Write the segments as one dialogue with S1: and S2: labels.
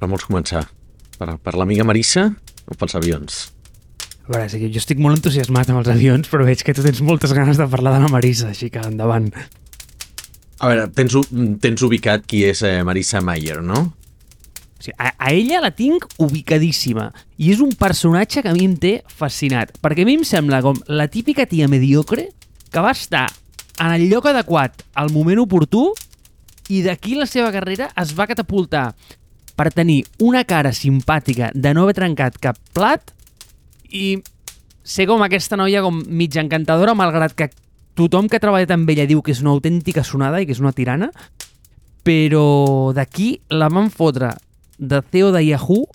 S1: Per vols començar? Per l'amiga Marissa o pels avions?
S2: A veure, sí, jo estic molt entusiasmat amb els avions, però veig que tu tens moltes ganes de parlar de la Marissa, així que endavant.
S1: A veure, tens ubicat qui és Marissa Mayer, no?
S2: O sigui, a ella la tinc ubicadíssima i és un personatge que a mi em té fascinat, perquè a mi em sembla com la típica tia mediocre que va estar en el lloc adequat al moment oportú i d'aquí la seva carrera es va catapultar per tenir una cara simpàtica de no haver trencat cap plat i ser com aquesta noia com mitja encantadora, malgrat que tothom que ha treballat amb ella diu que és una autèntica sonada i que és una tirana, però d'aquí la van fotre de CEO de Yahoo,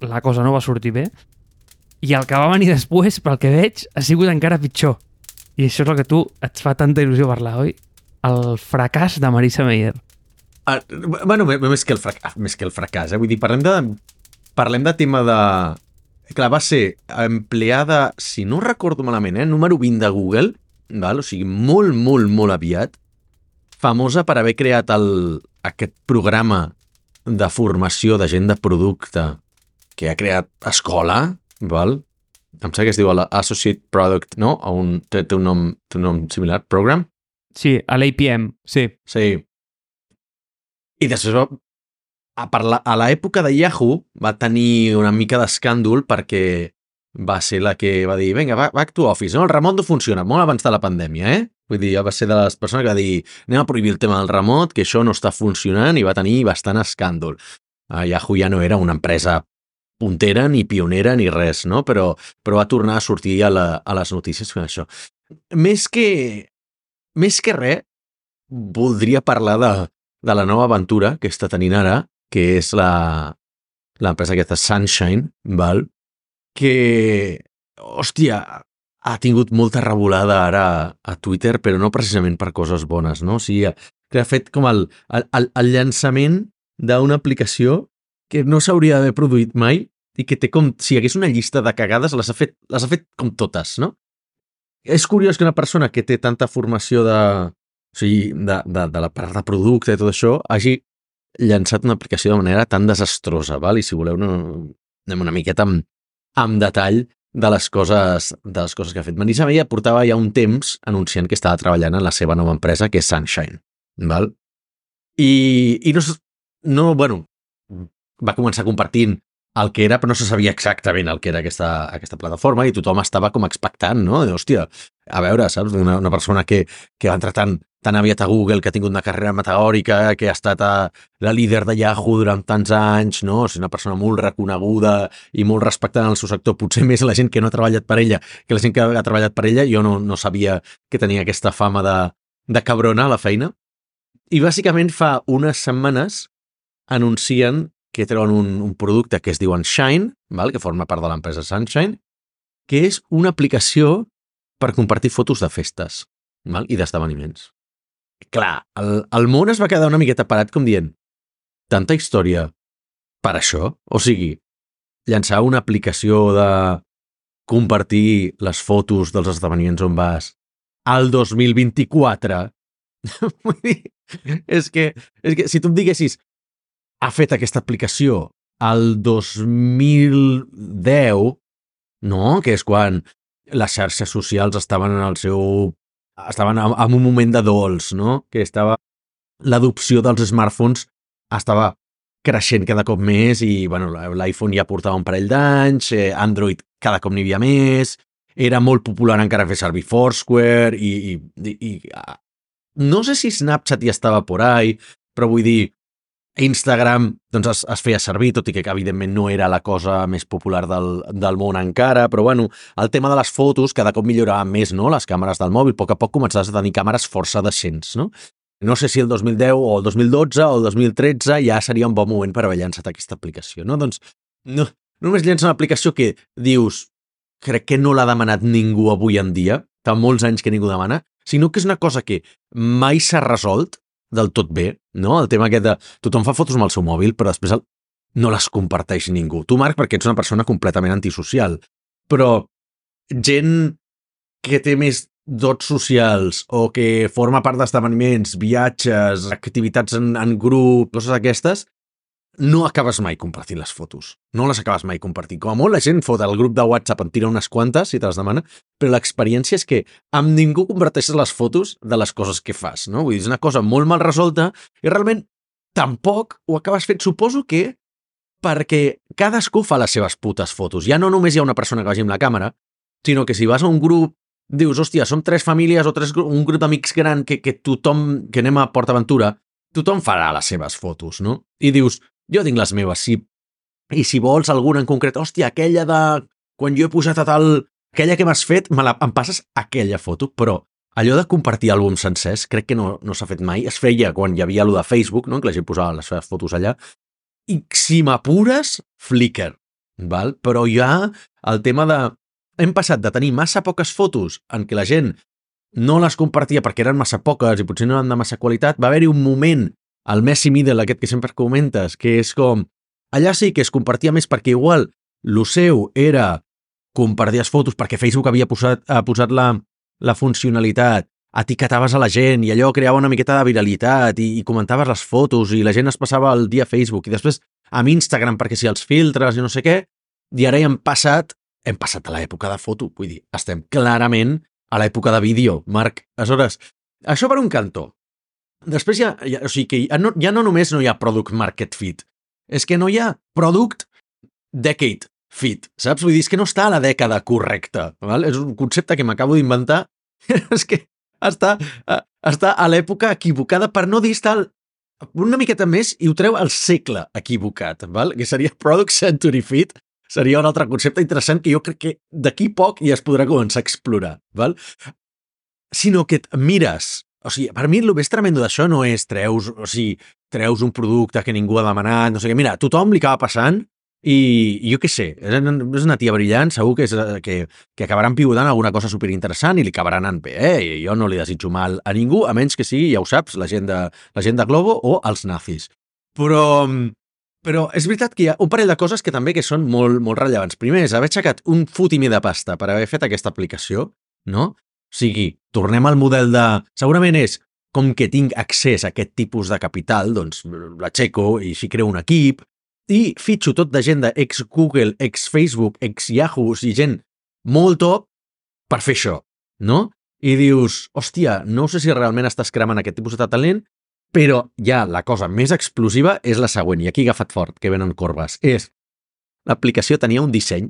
S2: la cosa no va sortir bé, i el que va venir després, pel que veig, ha sigut encara pitjor. I això és el que tu et fa tanta il·lusió parlar, oi? El fracàs de Marissa Mayer.
S1: Bueno, més que el fracàs, vull dir, parlem de tema de... Clar, va ser empleada, si no recordo malament, número 20 de Google, val? O sigui, molt, molt, molt aviat, famosa per haver creat aquest programa de formació de gent de producte que ha creat escola, val? Em sembla que es diu Associate Product, no? Té un nom similar, Program?
S2: Sí, a l'APM, sí.
S1: Sí. I després a l'època de Yahoo va tenir una mica d'escàndol perquè va ser la que va dir vinga, back to office, no? El remot no funciona, molt abans de la pandèmia, Vull dir, va ser de les persones que va dir anem a prohibir el tema del remot, que això no està funcionant i va tenir bastant escàndol. Yahoo ja no era una empresa puntera, ni pionera, ni res, no? Però va tornar a sortir a les notícies fent això. Més que res, voldria parlar de la nova aventura que està tenint ara, que és l'empresa aquesta Sunshine, val? Que, hòstia, ha tingut molta revolada ara a Twitter, però no precisament per coses bones, no? O sigui, que ha fet com el llançament d'una aplicació que no s'hauria d'haver produït mai i que té com, si hi hagués una llista de cagades, les ha fet com totes, no? És curiós que una persona que té tanta formació de la part de producte i tot això hagi llançat una aplicació de manera tan desastrosa, val? I si voleu anem una miqueta amb detall de les coses que ha fet. Marissa Mayer portava ja un temps anunciant que estava treballant en la seva nova empresa, que és Sunshine, val? I bueno, va començar compartint el que era, però no se sabia exactament el que era aquesta plataforma i tothom estava com expectant, no? Hòstia, a veure, saps? Una persona que va entrar tan aviat a Google, que ha tingut una carrera meteòrica, que ha estat la líder de Yahoo durant tants anys, no? És una persona molt reconeguda i molt respectada en el seu sector, potser més la gent que no ha treballat per ella que la gent que ha treballat per ella. Jo no sabia que tenia aquesta fama de cabrona a la feina. I bàsicament fa unes setmanes anuncien que treuen un producte que es diuen Shine, val? Que forma part de l'empresa Sunshine, que és una aplicació per compartir fotos de festes, val? I d'esdeveniments. Clar, el món es va quedar una miqueta parat com dient tanta història per això? O sigui, llançar una aplicació de compartir les fotos dels esdeveniments on vas al 2024. Vull dir, és que si tu em diguessis ha fet aquesta aplicació al 2010, no? Que és quan les xarxes socials estaven en un moment de dols, no? Que l'adopció dels smartphones estava creixent cada cop més i, bueno, l'iPhone ja portava un parell d'anys, Android cada cop n'hi havia més, era molt popular encara fer servir Foursquare i no sé si Snapchat ja estava por ahí, però vull dir, Instagram doncs es feia servir, tot i que evidentment no era la cosa més popular del món encara, però bueno, el tema de les fotos cada cop millorava més, no? Les càmeres del mòbil, a poc començaves a tenir càmeres força decents, no? No sé si el 2010 o el 2012 o el 2013 ja seria un bon moment per haver llançat aquesta aplicació, no? Doncs no només llença una aplicació que dius, crec que no l'ha demanat ningú avui en dia, fa molts anys que ningú demana, sinó que és una cosa que mai s'ha resolt del tot bé, no? El tema aquest de tothom fa fotos amb el seu mòbil, però després no les comparteix ningú. Tu, Marc, perquè ets una persona completament antisocial, però gent que té més dots socials o que forma part d'esdeveniments, viatges, activitats en grup, coses aquestes, no acabes mai compartint les fotos. No les acabes mai compartint. Com a molt la gent fot al grup de WhatsApp, en tira unes quantes, si te les demana, però l'experiència és que amb ningú comparteixes les fotos de les coses que fas, no? Vull dir, és una cosa molt mal resolta i realment tampoc ho acabes fent. Suposo que perquè cadascú fa les seves putes fotos. Ja no només hi ha una persona que vagi amb la càmera, sinó que si vas a un grup, dius, hòstia, som 3 famílies o un grup d'amics gran que tothom, que anem a PortAventura, tothom farà les seves fotos, no? I dius, jo tinc les meves, i si vols alguna en concret, hòstia, aquella de quan jo he posat a tal, aquella que m'has fet, em passes aquella foto, però allò de compartir àlbums sencers crec que no s'ha fet mai. Es feia quan hi havia allò de Facebook, no? Que la gent posava les seves fotos allà, i si m'apures, Flickr, val? Però ja el tema de... Hem passat de tenir massa poques fotos en què la gent no les compartia perquè eren massa poques i potser no eren de massa qualitat. Va haver-hi un moment, el Messi Middle, aquest que sempre comentes, que és com... Allà sí que es compartia més perquè igual lo seu era compartir les fotos perquè Facebook havia posat la funcionalitat, etiquetaves a la gent i allò creava una miqueta de viralitat i comentaves les fotos i la gent es passava el dia a Facebook i després amb Instagram perquè si els filtres i no sé què, i ara hem passat a l'època de foto, vull dir, estem clarament a l'època de vídeo, Marc. Aleshores, això per un cantó. Després o sigui que ja no només no hi ha product market fit, és que no hi ha product decade fit, saps? Vull dir, és que no està a la dècada correcta, val? És un concepte que m'acabo d'inventar, és que està a l'època equivocada, per no dir estar una miqueta més i ho treu al segle equivocat, val? Que seria product century fit, seria un altre concepte interessant que jo crec que d'aquí poc ja es podrà començar a explorar, val? Sinó que et mires, o sigui, per mi el més tremendo d'això no és treus un producte que ningú ha demanat, no sé què, mira, a tothom li acaba passant i jo què sé, és una tia brillant, segur que acabaran pivotant alguna cosa superinteressant i li acabarà anant bé, i jo no li desitjo mal a ningú, a menys que sigui, ja ho saps, la gent de Globo o els nazis. Però és veritat que hi ha un parell de coses que també que són molt, molt rellevants. Primer és haver aixecat un fotimer de pasta per haver fet aquesta aplicació, no? O sigui, tornem al model de... Segurament és, com que tinc accés a aquest tipus de capital, doncs l'aixeco i així creo un equip i fitxo tot de gent d'ex-Google, ex-Facebook, ex-Yahoo i gent molt top per fer això, no? I dius, hòstia, no sé si realment estàs cremant aquest tipus de talent, però ja la cosa més explosiva és la següent, i aquí he agafat fort, que venen corbes. L'aplicació tenia un disseny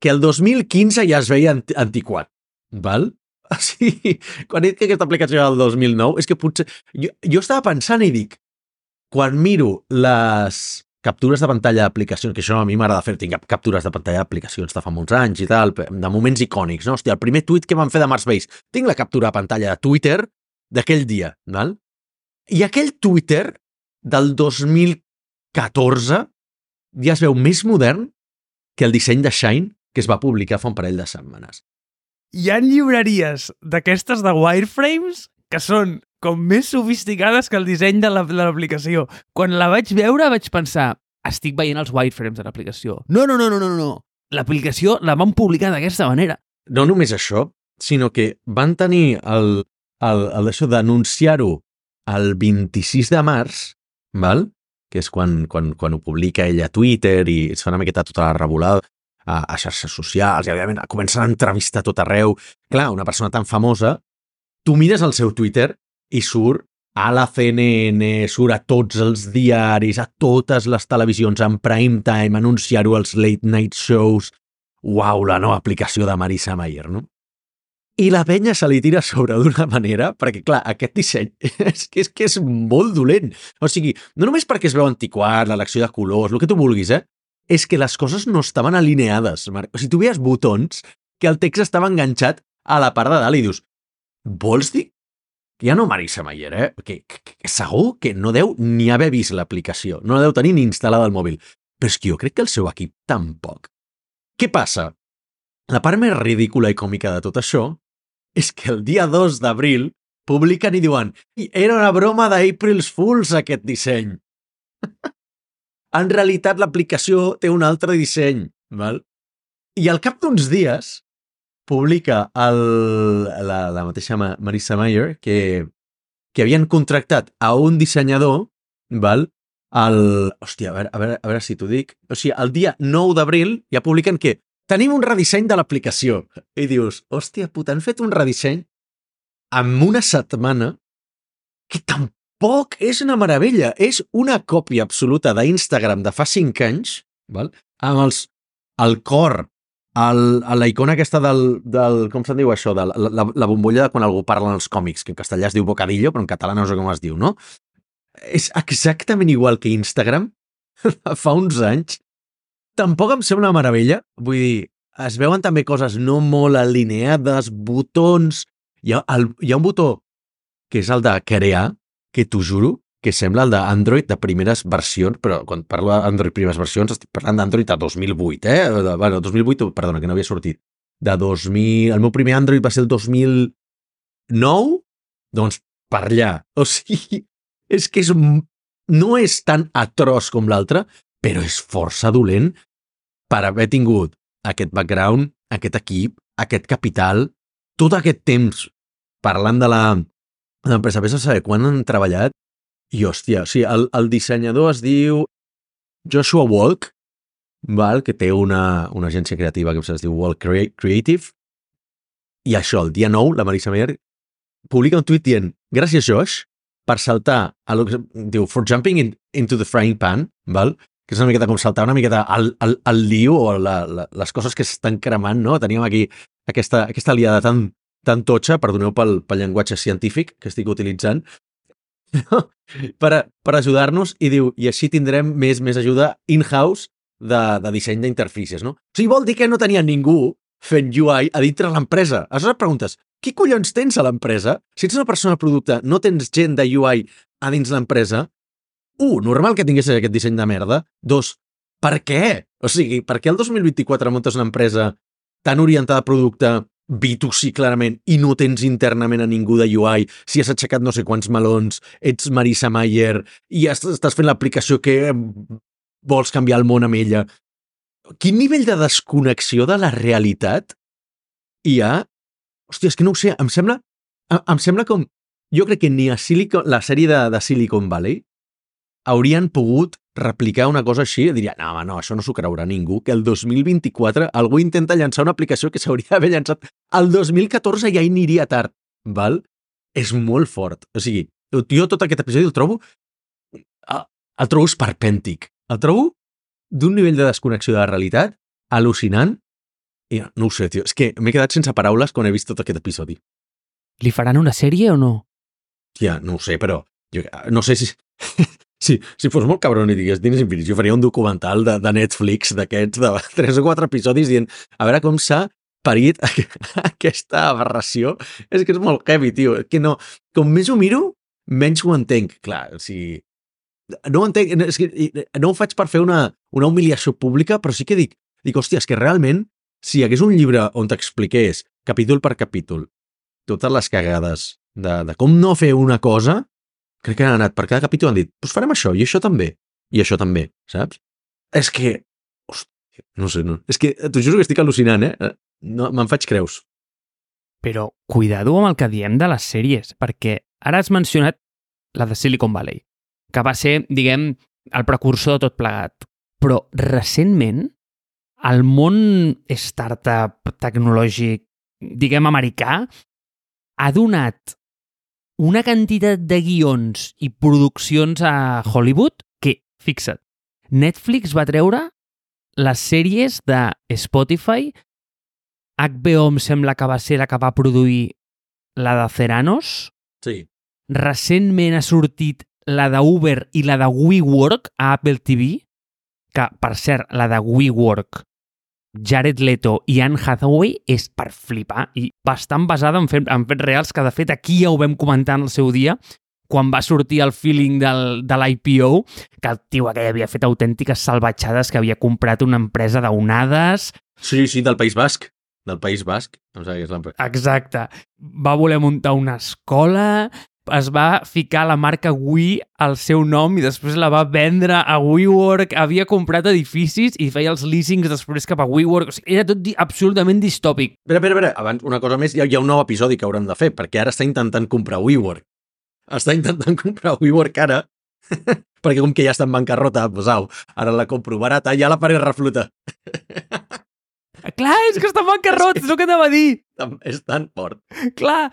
S1: que el 2015 ja es veia antiquat, val? O sigui, quan he dit que aquesta aplicació era del 2009, és que potser... Jo estava pensant i dic, quan miro les captures de pantalla d'aplicacions, que això a mi m'agrada fer, tinc captures de pantalla d'aplicacions de fa molts anys i tal, de moments icònics, no? Hòstia, el primer tuit que van fer de Mars Base, tinc la captura de pantalla de Twitter d'aquell dia, val? I aquell Twitter del 2014 ja es veu més modern que el disseny de Shine que es va publicar fa un parell de setmanes.
S2: Hi ha llibreries d'aquestes de wireframes que són com més sofisticades que el disseny de l'aplicació. Quan la vaig veure vaig pensar, estic veient els wireframes de l'aplicació. No. L'aplicació la van publicar d'aquesta manera.
S1: No només això, sinó que van tenir això d'anunciar-ho el 26 de març, val? Que és quan ho publica ella a Twitter i es fa una miqueta tota la revolada a xarxes socials i òbviament comencen a entrevistar tot arreu. Clar, una persona tan famosa, tu mires el seu Twitter i surt a la CNN, surt a tots els diaris, a totes les televisions, en prime time, anunciar-ho als late night shows. Uau, la nova aplicació de Marissa Mayer, no? I la penya se li tira a sobre d'una manera, perquè, clar, aquest disseny és que és molt dolent. O sigui, no només perquè es veu antiquat, l'elecció de colors, el que tu vulguis, és que les coses no estaven alineades, Marc. O sigui, tu veies botons que el text estava enganxat a la part de dalt i dius, vols dir que ja no Marissa Mayer, que segur que no deu ni haver vist l'aplicació, no la deu tenir ni instal·lada al mòbil. Però és que jo crec que el seu equip tampoc. Què passa? La part més ridícula i còmica de tot això és que el dia 2 d'abril publiquen i diuen era una broma d'April's Fools aquest disseny. En realitat l'aplicació té un altre disseny, val? I al cap d'uns dies publica la mateixa Marissa Mayer que havien contractat a un dissenyador, val? Hòstia, a veure si t'ho dic. O sigui, el dia 9 d'abril ja publiquen que tenim un redisseny de l'aplicació. I dius, hòstia puta, han fet un redisseny en una setmana que tampoc és una meravella. És una còpia absoluta d'Instagram de fa 5 anys, val? Amb el cor, la icona aquesta del com se'n diu això, de la bombolla de quan algú parla en els còmics, que en castellà es diu bocadillo, però en català no sé com es diu, no? És exactament igual que Instagram fa uns anys. Tampoc em sembla una meravella. Vull dir, es veuen també coses no molt alineades, botons. Hi ha un botó que és el de crear, que t'ho juro, que sembla el d'Android de primeres versions, però quan parlo d'Android primeres versions estic parlant d'Android de 2008, Bueno, 2008, perdona, que no havia sortit. De 2000... El meu primer Android va ser el 2009, doncs per allà. O sigui, és que no és tan atroç com l'altre, però és força dolent per haver tingut aquest background, aquest equip, aquest capital, tot aquest temps parlant de l'empresa. Vés a saber quan han treballat. I, hòstia, o sigui, el dissenyador es diu Joshua Walk, val? Que té una agència creativa que es diu Walk Creative. I això, el dia 9, la Marisa Mayer publica un tuit dient, gràcies, Josh, per saltar a lo que diu for jumping into the frying pan, val? Que és una miqueta com saltar una miqueta al lío o les coses que s'estan cremant, no? Teníem aquí aquesta aliada tan totxa, perdoneu pel llenguatge científic que estic utilitzant, per ajudar-nos, i diu, i així tindrem més ajuda in-house de disseny d'interfícies, no? O sigui, vol dir que no tenia ningú fent UI a dintre l'empresa. Aleshores et preguntes, qui collons tens a l'empresa? Si ets una persona de producte, no tens gent de UI a dins l'empresa? Normal que tinguessis aquest disseny de merda. 2, per què? O sigui, per què el 2024 muntes una empresa tan orientada a producte B2C clarament i no tens internament a ningú de UI, si has aixecat no sé quants melons, ets Marisa Mayer i estàs fent l'aplicació que vols canviar el món amb ella? Quin nivell de desconnexió de la realitat hi ha? Hòstia, és que no ho sé, em sembla com... Jo crec que ni a la sèrie de Silicon Valley haurien pogut replicar una cosa així i diria, no, això no s'ho creurà ningú, que el 2024 algú intenta llançar una aplicació que s'hauria d'haver llançat el 2014 ja aniria tard, val? És molt fort. O sigui, jo tot aquest episodi el trobo esperpèntic. El trobo d'un nivell de desconnexió de la realitat al·lucinant i no ho sé, tio. És que m'he quedat sense paraules quan he vist tot aquest episodi.
S2: Li faran una sèrie o no?
S1: Ja, no ho sé, però jo no sé si... Si fos molt cabron i digués Diners Infinits, jo faria un documental de Netflix d'aquests de 3 o 4 episodis dient a veure com s'ha parit aquesta aberració. És que és molt heavy, tio. Que no, com més ho miro, menys ho entenc. Clar, o sigui... No ho entenc, és que no ho faig per fer una humiliació pública, però sí que dic, hòstia, és que realment, si hi hagués un llibre on t'expliqués, capítol per capítol, totes les cagades de com no fer una cosa, crec que han anat per cada capítol, han dit, doncs farem això, i això també, saps? És que, hòstia, no sé, no. És que t'ho juro que estic al·lucinant, No, me'n faig creus.
S2: Però cuidado amb el que diem de les sèries, perquè ara has mencionat la de Silicon Valley, que va ser, diguem, el precursor de tot plegat. Però recentment, el món startup tecnològic, diguem, americà, ha donat una quantitat de guions i produccions a Hollywood que, fixa't, Netflix va treure les sèries de Spotify, HBO em sembla que va ser la que va produir la de Ceranos.
S1: Sí.
S2: Recentment ha sortit la de Uber i la de WeWork a Apple TV, que, per cert, la de WeWork, Jared Leto i Anne Hathaway és per flipar i bastant basada en fets reals, que de fet aquí ja ho vam comentar en el seu dia, quan va sortir el feeling de l'IPO, que el tio aquell havia fet autèntiques salvatjades, que havia comprat una empresa d'onades...
S1: Sí, del País Basc. Del País Basc.
S2: Exacte. Va voler muntar una escola, es va ficar la marca We al seu nom i després la va vendre a WeWork, havia comprat edificis i feia els leasings després cap a WeWork. O sigui, era tot absolutament distòpic.
S1: Espera, abans una cosa més, hi ha un nou episodi que haurem de fer, perquè ara està intentant comprar WeWork. Està intentant comprar WeWork ara Perquè com que ja està en bancarrota, doncs au, ara la compro barata, ja la faré reflotar.
S2: Clar, és que està en bancarrot, és el que anava a dir.
S1: És tan fort.
S2: Clar.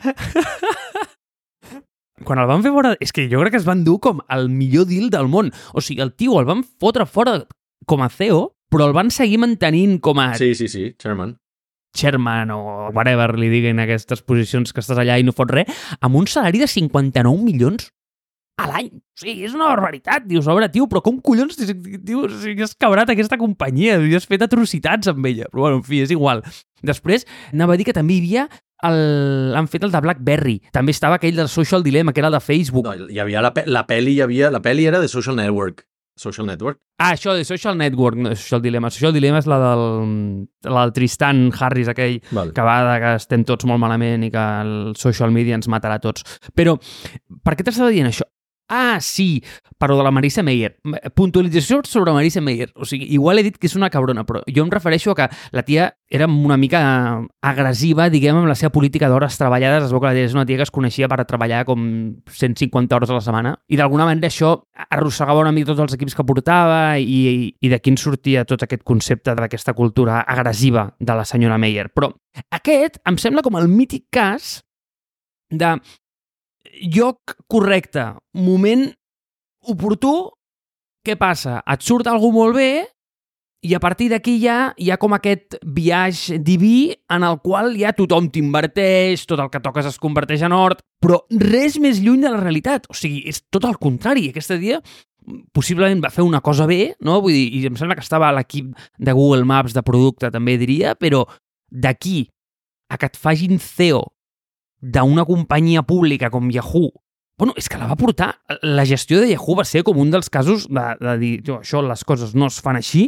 S2: Quan el van fer fora... És que jo crec que es van dur com el millor deal del món. O sigui, el tio el van fotre fora com a CEO, però el van seguir mantenint com a
S1: Sí, chairman.
S2: chairman o whatever li diguin aquestes posicions que estàs allà i no fots res, amb un salari de 59 milions a l'any. O sigui, és una barbaritat. Dius, obre, tio, però com collons tio, o sigui, has cabrat aquesta companyia i has fet atrocitats amb ella. Però bueno, en fi, és igual. Després, anava a dir que també hi havia han fet el de BlackBerry. També estava aquell del Social Dilemma, que era el de Facebook.
S1: No, hi havia la peli era de Social Network. Social Network?
S2: Ah, això de Social Network, no de Social Dilemma. Social Dilemma és la del Tristan Harris, aquell que va de que estem tots molt malament i que el social media ens matarà a tots. Però, per què t'estava dient això? Ah, sí, però de la Marisa Mayer. Puntualització sobre Marisa Mayer. O sigui, igual he dit que és una cabrona, però jo em refereixo a que la tia era una mica agressiva, diguem, amb la seva política d'hores treballades. Es veu que la tia és una tia que es coneixia per treballar com 150 hores a la setmana. I d'alguna manera això arrossegava una mica tots els equips que portava i d'aquí en sortia tot aquest concepte d'aquesta cultura agressiva de la senyora Mayer. Però aquest em sembla com el mític cas de lloc correcte, moment oportú, què passa? Et surt algú molt bé i a partir d'aquí ja hi ha com aquest viatge diví en el qual ja tothom t'inverteix, tot el que toques es converteix en or, però res més lluny de la realitat. O sigui, és tot el contrari. Aquesta dia possiblement va fer una cosa bé, no? Vull dir, i em sembla que estava a l'equip de Google Maps de producte, també diria, però d'aquí a que et facin CEO d'una companyia pública com Yahoo, bueno, és que la va portar. La gestió de Yahoo va ser com un dels casos de dir, això, les coses no es fan així,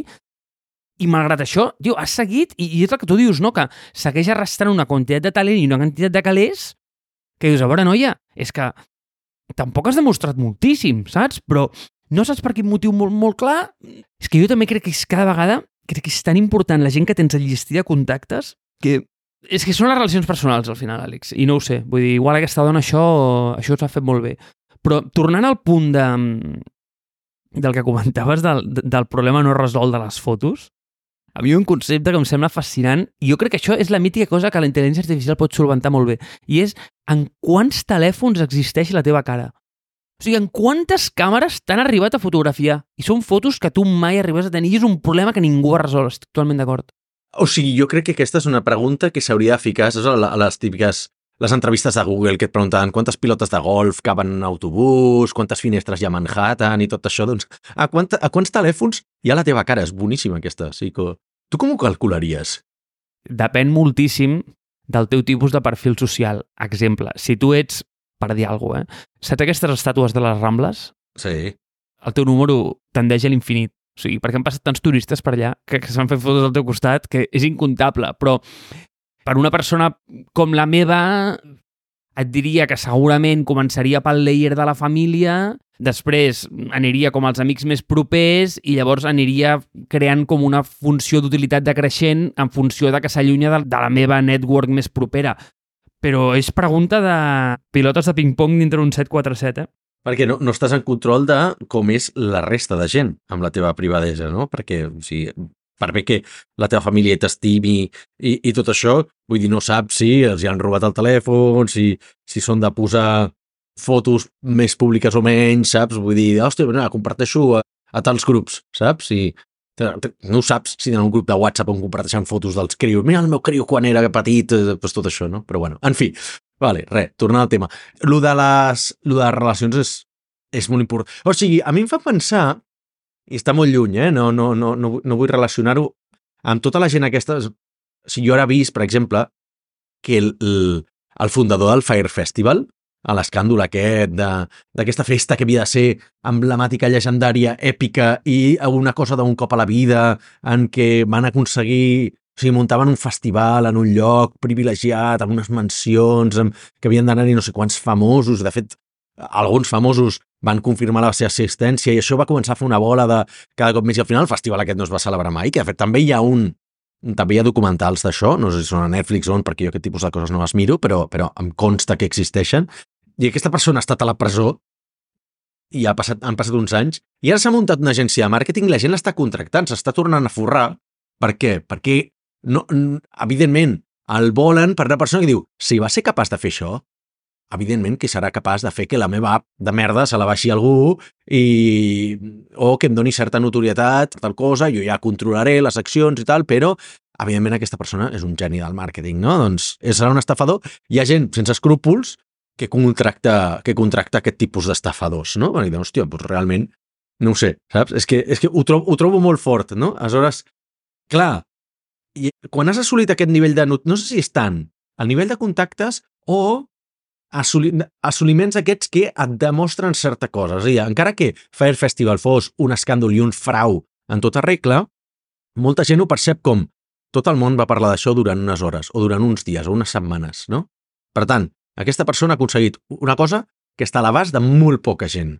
S2: i malgrat això, tio, has seguit, i és el que tu dius, no?, que segueix arrastrant una quantitat de talent i una quantitat de calés que dius, a veure, noia, és que tampoc has demostrat moltíssim, saps? Però no saps per quin motiu molt, molt clar. És que jo també crec que cada vegada crec que és tan important la gent que tens al llistí de contactes que és que són les relacions personals, al final, Àlex, i no ho sé. Vull dir, igual aquesta dona això s'ha fet molt bé. Però tornant al punt del que comentaves del problema no resolt de les fotos, a mi hi ha un concepte que em sembla fascinant i jo crec que això és la mítica cosa que la intel·ligència artificial pot solventar molt bé, i és en quants telèfons existeix la teva cara. O sigui, en quantes càmeres t'han arribat a fotografiar? I són fotos que tu mai arribes a tenir i és un problema que ningú ha resolt, estic totalment d'acord.
S1: O sigui, jo crec que aquesta és una pregunta que s'hauria de ficar a les típiques, les entrevistes de Google que et preguntaven quantes pilotes de golf caben en autobús, quantes finestres hi ha a Manhattan i tot això, doncs a quants telèfons hi ha la teva cara? És boníssima aquesta. O sigui que, tu com ho calcularies?
S2: Depèn moltíssim del teu tipus de perfil social. Exemple, si tu ets, per dir alguna cosa, saps aquestes estàtues de les Rambles?
S1: Sí.
S2: El teu número tendeix a l'infinit. O sigui, perquè han passat tants turistes per allà que s'han fet fotos al teu costat que és incontable, però per una persona com la meva et diria que segurament començaria pel layer de la família, després aniria com als amics més propers i llavors aniria creant com una funció d'utilitat decreixent en funció de que s'allunya de la meva network més propera. Però és pregunta de pilotes de ping-pong dintre un 747,
S1: Perquè no estàs en control de com és la resta de gent amb la teva privadesa, no? Perquè, o sigui, per bé que la teva família t'estimi i tot això, vull dir, no saps si els hi han robat el telèfon, si són de posar fotos més públiques o menys, saps? Vull dir, hòstia, comparteixo a tals grups, saps? No saps si tenen un grup de WhatsApp on comparteixen fotos dels crios. Mira el meu criu quan era petit, doncs tot això, no? Però bueno, en fi, vale, tornant al tema. Lo de les relacions és molt important. O sigui, a mi em fa pensar, i està molt lluny, no vull relacionar-ho amb tota la gent aquesta. O sigui, jo ara he vist, per exemple, que el fundador del Fire Festival, a l'escàndol aquest d'aquesta festa que havia de ser emblemàtica, llegendària, èpica i una cosa d'un cop a la vida en què van aconseguir, o sigui, muntaven un festival en un lloc privilegiat, amb unes mansions, que havien d'anar-hi no sé quants famosos. De fet, alguns famosos van confirmar la seva assistència i això va començar a fer una bola de cada cop més, i al final el festival aquest no es va celebrar mai, que de fet també hi ha documentals d'això, no sé si són a Netflix o on, perquè jo aquest tipus de coses no les miro, però em consta que existeixen. I aquesta persona ha estat a la presó i han passat uns anys, i ara s'ha muntat una agència de màrqueting i la gent l'està contractant, s'està tornant a forrar. Per què? Perquè, no, evidentment, el volen per una persona que diu, si va ser capaç de fer això, evidentment que serà capaç de fer que la meva app de merda se la baixi algú o que em doni certa notorietat, tal cosa, jo ja controlaré les accions i tal, però evidentment aquesta persona és un geni del màrqueting, no? Doncs serà un estafador. Hi ha gent sense escrúpols que contracta aquest tipus d'estafadors, no? I diuen, hòstia, doncs realment, no ho sé, saps? És que ho trobo molt fort, no? Aleshores, clar, i quan has assolit aquest nivell de... No sé si és tant el nivell de contactes o assoliments aquests que et demostren certa cosa. És a dir, encara que Fire Festival fos un escàndol i un frau en tota regla, molta gent ho percep com tot el món va parlar d'això durant unes hores, o durant uns dies, o unes setmanes, no? Per tant, aquesta persona ha aconseguit una cosa que està a l'abast de molt poca gent.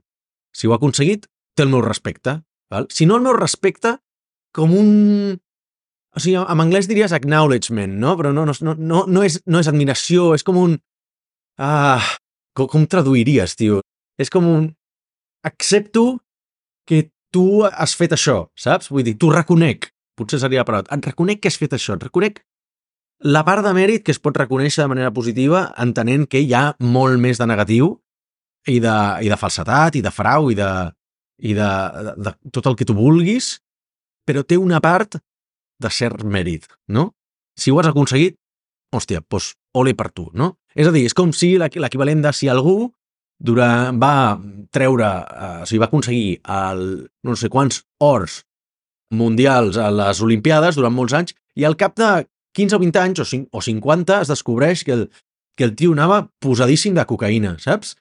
S1: Si ho ha aconseguit, té el meu respecte. Val? Si no el meu respecte, com un... O sigui, en anglès diries acknowledgement, no? Però no és admiració, és com un... com traduiries, tio? És com un... Accepto que tu has fet això, saps? Vull dir, t'ho reconec. Potser seria la paraula. Et reconec que has fet això. Et reconec la part de mèrit que es pot reconèixer de manera positiva, entenent que hi ha molt més de negatiu i de falsedat, i de frau, i de tot el que tu vulguis, però té una part de cert mèrit, no? Si ho has aconseguit, hòstia, doncs ole per tu, no? És a dir, és com si l'equivalent de si algú va treure, o sigui, va aconseguir no sé quants ors mundials a les Olimpiades durant molts anys i al cap de 15 o 20 anys o 50 es descobreix que el tio anava posadíssim de cocaïna, saps?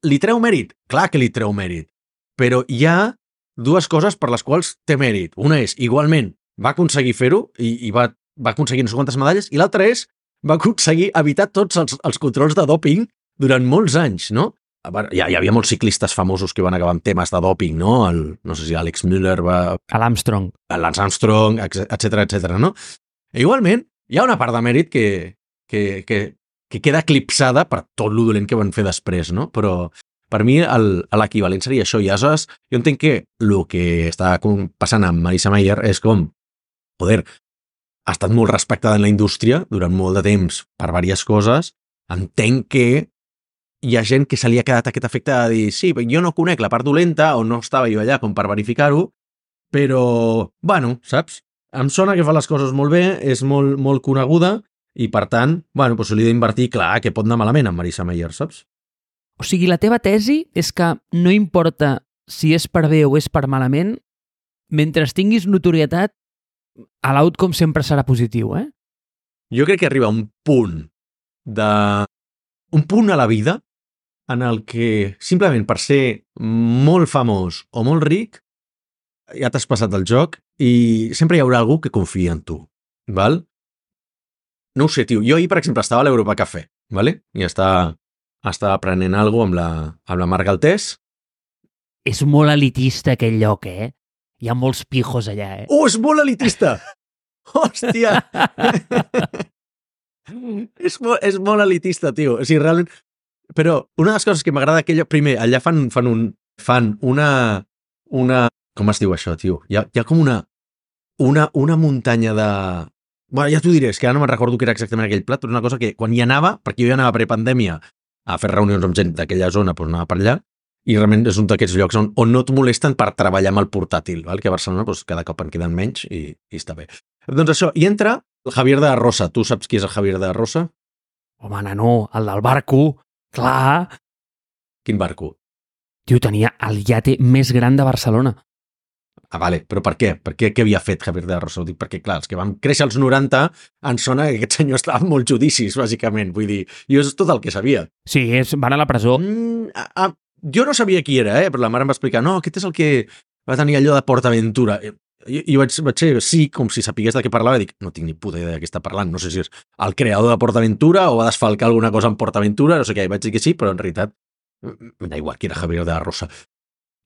S1: Li treu mèrit? Clar que li treu mèrit, però hi ha dues coses per les quals té mèrit. Una és, igualment, va aconseguir fer-ho i va aconseguir no sé quantes medalles, i l'altra és, va aconseguir evitar tots els controls de dòping durant molts anys, no? Hi havia molts ciclistes famosos que van acabar amb temes de dòping, no? No sé si Alex Müller va...
S2: L'Armstrong.
S1: Lance Armstrong, etc, no? I igualment, hi ha una part de mèrit que queda eclipsada per tot lo dolent que van fer després, no? Però per mi l'equivalent seria això. I aleshores jo entenc que el que està passant amb Marisa Mayer és com, joder, ha estat molt respectada en la indústria durant molt de temps per diverses coses. Entenc que hi ha gent que se li ha quedat aquest efecte de dir sí, jo no conec la part dolenta o no estava jo allà com per verificar-ho, però, bueno, saps? Em sona que fa les coses molt bé, és molt, molt coneguda i, per tant, bueno, doncs li he d'invertir, clar, que pot anar malament amb Marisa Mayer, saps?
S2: O sigui, la teva tesi és que no importa si és per bé o és per malament, mentre tinguis notorietat, l'outcome sempre serà positiu, eh?
S1: Jo crec que arriba un punt a la vida en el que simplement per ser molt famós o molt ric ja t'has passat el joc i sempre hi haurà algú que confia en tu, val? No ho sé, tio. Jo ahir, per exemple, estava a l'Europa Cafè, vale? I estava prenent alguna cosa amb la Mar Galtés.
S2: És molt elitista aquell lloc, eh? Hi ha molts pijos allà, eh?
S1: Oh, és molt elitista! Hòstia! és molt elitista, tio. O sigui, realment... Però una de les coses que m'agrada aquell lloc... Primer, allà fan una... Com es diu això, tio? Hi ha com una muntanya de... Bueno, ja t'ho diré, és que ara no me'n recordo què era exactament aquell plat, però és una cosa que quan hi anava, perquè jo hi anava prepandèmia a fer reunions amb gent d'aquella zona, doncs anava per allà, i realment és un d'aquests llocs on no et molesten per treballar amb el portàtil, val? Que a Barcelona doncs, cada cop en queden menys i està bé. Doncs això, i entra el Javier de la Rosa. Tu saps qui és el Javier de la Rosa?
S2: Home, nano, el del barco, clar.
S1: Quin barco?
S2: Tio, tenia el iate més gran de Barcelona.
S1: Ah, vale, però per què? Què havia fet Javier de la Rosa? Ho dic perquè, clar, els que vam créixer als 90 en sona que aquest senyor estava en molts judicis, bàsicament. Vull dir, jo és tot el que sabia.
S2: Sí, van a la presó.
S1: Jo no sabia qui era, però la mare em va explicar, no, aquest és el que va tenir allò de PortAventura. Jo vaig ser sí, com si sapigués de què parlava, i dic, no tinc ni puta idea de què està parlant, no sé si és el creador de PortAventura o va desfalcar alguna cosa en PortAventura, no sé què, i vaig dir que sí, però en realitat em da igual qui era Javier de la Rosa.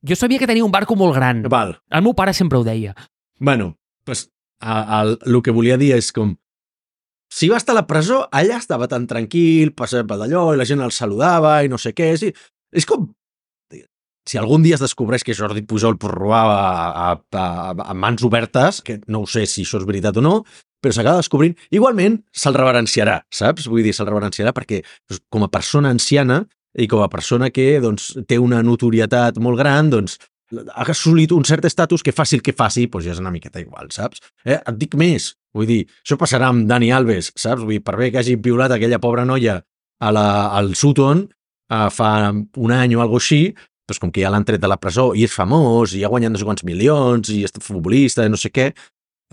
S2: Jo sabia que tenia un barco molt gran.
S1: Val.
S2: El meu pare sempre ho deia.
S1: Bueno, pues, el que volia dir és com, si va estar a la presó, allà estava tan tranquil, passava per d'allò, i la gent el saludava i no sé què, és com, si algun dia es descobreix que Jordi Pujol robava a mans obertes, que no ho sé si això és veritat o no, però s'acaba descobrint, igualment se'l reverenciarà, saps? Vull dir, se'l reverenciarà perquè com a persona anciana i com a persona que doncs, té una notorietat molt gran, doncs ha assolit un cert estatus que faci el que faci, doncs ja és una miqueta igual, saps? Et dic més, vull dir, això passarà amb Dani Alves, saps? Vull dir, per bé que hagi violat aquella pobra noia al Sutton fa un any o alguna així, doncs com que ja l'han tret de la presó i és famós i ha guanyat no sé quants milions i és futbolista i no sé què,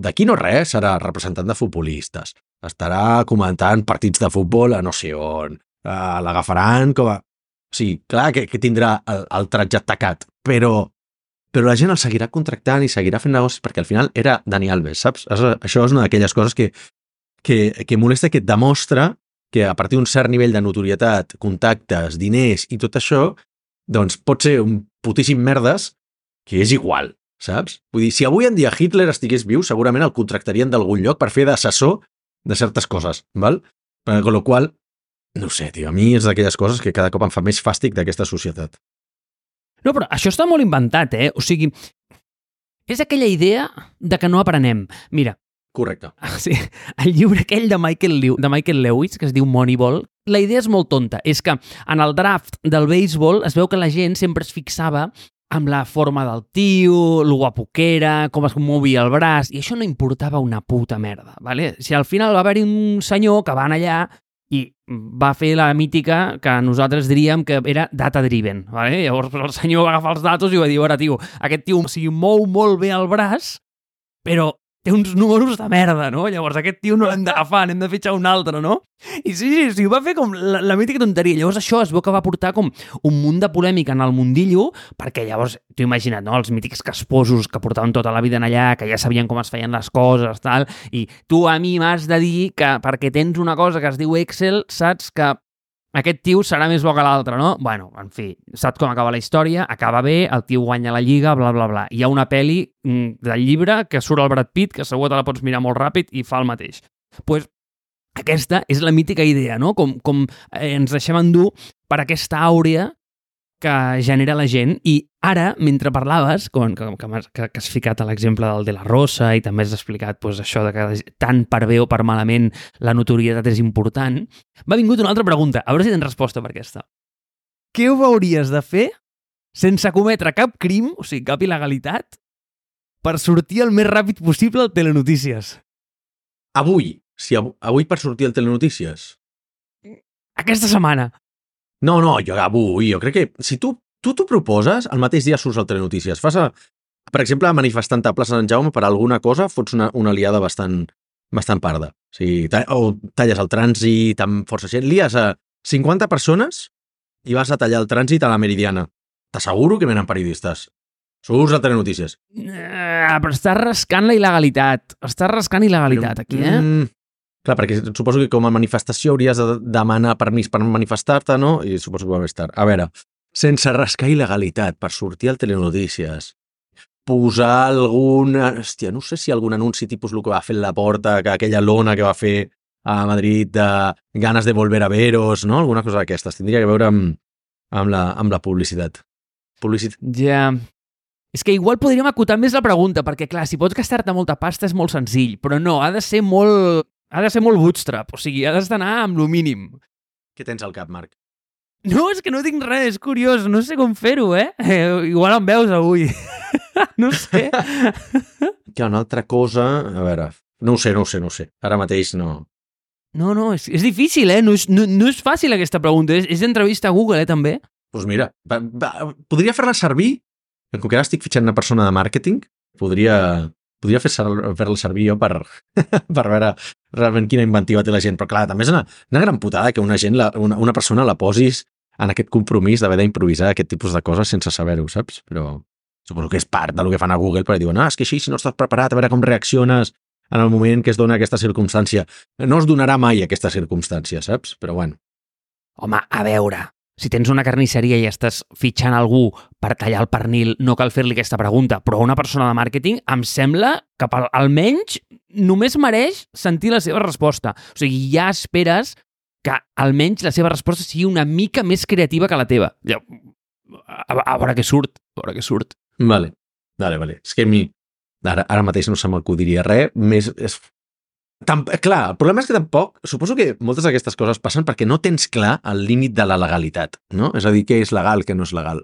S1: d'aquí no res serà representant de futbolistes. Estarà comentant partits de futbol a no sé on, l'agafaran com a... Sí, clar que tindrà el tratge tacat, però la gent el seguirà contractant i seguirà fent negocis perquè al final era Dani Alves, saps? Això és una d'aquelles coses que molesta, que et demostra que a partir d'un cert nivell de notorietat, contactes, diners i tot això, doncs pot ser un putíssim merdes que és igual, saps? Vull dir, si avui en dia Hitler estigués viu, segurament el contractarien d'algun lloc per fer d'assessor de certes coses, val? Con lo qual, no sé, tio, a mi és d'aquelles coses que cada cop em fa més fàstic d'aquesta societat.
S2: No, però això està molt inventat, eh? O sigui, és aquella idea de que no aprenem. Mira.
S1: Correcte.
S2: Sí, el llibre aquell de Michael Lewis, que es diu Moneyball, la idea és molt tonta. És que en el draft del béisbol es veu que la gent sempre es fixava amb la forma del tio, lo guapo que era, com es movia el braç, i això no importava una puta merda, ¿vale? Si al final va haver-hi un senyor que va anar allà i va fer la mítica que nosaltres diríem que era data-driven, ¿vale? Llavors el senyor va agafar els datos i va dir, ara, tio, aquest tio mou molt bé el braç, però té uns números de merda, no? Llavors aquest tio no l'hem d'agafar, n'hem de fitxar un altre, no? I sí, va fer com la mítica tonteria. Llavors això es veu que va portar com un munt de polèmica en el mundillo, perquè llavors, t'ho imagina't, no? Els mítics casposos que portaven tota la vida en allà, que ja sabien com es feien les coses, tal, i tu a mi m'has de dir que perquè tens una cosa que es diu Excel, saps que aquest tio serà més bo que l'altre, no? Bueno, en fi, saps com acaba la història, acaba bé, el tio guanya la lliga, bla, bla, bla. Hi ha una pel·li del llibre que surt el Brad Pitt, que segur te la pots mirar molt ràpid i fa el mateix. Pues aquesta és la mítica idea, no? Com ens deixem endur per aquesta àurea que genera la gent. I ara, mentre parlaves, que has ficat a l'exemple del De La Rosa i també has explicat pues, això de que tant per bé o per malament la notorietat és important, m'ha vingut una altra pregunta. A veure si tens resposta per aquesta. Què ho hauries de fer sense cometre cap crim, o sigui, cap il·legalitat, per sortir el més ràpid possible al Telenotícies?
S1: Avui per sortir al Telenotícies?
S2: Aquesta setmana.
S1: No, jo crec que si tu t'ho proposes, el mateix dia surts al Telenotícies. Per exemple, manifestant a plaça Sant Jaume per alguna cosa, fots una liada bastant parda. O sigui, o talles el trànsit amb força gent. Lies a 50 persones i vas a tallar el trànsit a la Meridiana. T'asseguro que venen periodistes. Surts al Telenotícies.
S2: Però estàs rascant la il·legalitat. Estàs rascant il·legalitat aquí, eh?
S1: Clar, perquè suposo que com a manifestació hauries de demanar permís per manifestar-te, no? I suposo que va més tard. A veure, sense rascar il·legalitat per sortir al Telenotícies, posar algun... Hòstia, no sé si algun anunci tipus el que va fer la Porta, que aquella lona que va fer a Madrid de ganes de volver a veros, no? Alguna cosa d'aquestes. Tindria que veure amb la publicitat.
S2: Ja... És que igual podríem acotar més la pregunta, perquè clar, si pots gastar-te molta pasta és molt senzill, però no, ha de ser molt bootstrap, o sigui, has d'anar amb lo mínim.
S1: Què tens al cap, Marc?
S2: No, és que no tinc res, és curiós, no sé com fer-ho, igual em veus avui. No sé.
S1: Hi ha una altra cosa... A veure, no ho sé. Ara mateix no.
S2: No, és difícil, no és fàcil aquesta pregunta, és entrevista a Google, també.
S1: Doncs mira, podria fer-la servir, com que ara estic fitxant una persona de màrqueting, podria fer-la servir jo per veure realment quina inventiva té la gent. Però clar, també és una gran putada que una persona la posis en aquest compromís d'haver d'improvisar aquest tipus de coses sense saber-ho, saps? Però suposo que és part del que fan a Google, perquè diuen, és que així, si no estàs preparat, a veure com reacciones en el moment que es dona aquesta circumstància. No es donarà mai aquesta circumstància, saps? Però bueno.
S2: Home, a veure, si tens una carnisseria i estàs fitxant algú per tallar el pernil, no cal fer-li aquesta pregunta, però una persona de màrqueting em sembla que almenys només mereix sentir la seva resposta. O sigui, ja esperes que almenys la seva resposta sigui una mica més creativa que la teva. a veure què surt,
S1: Vale. És que a mi ara mateix no se m'acudiria res, més... Clar, el problema és que tampoc... Suposo que moltes d'aquestes coses passen perquè no tens clar el límit de la legalitat, no? És a dir, què és legal, què no és legal.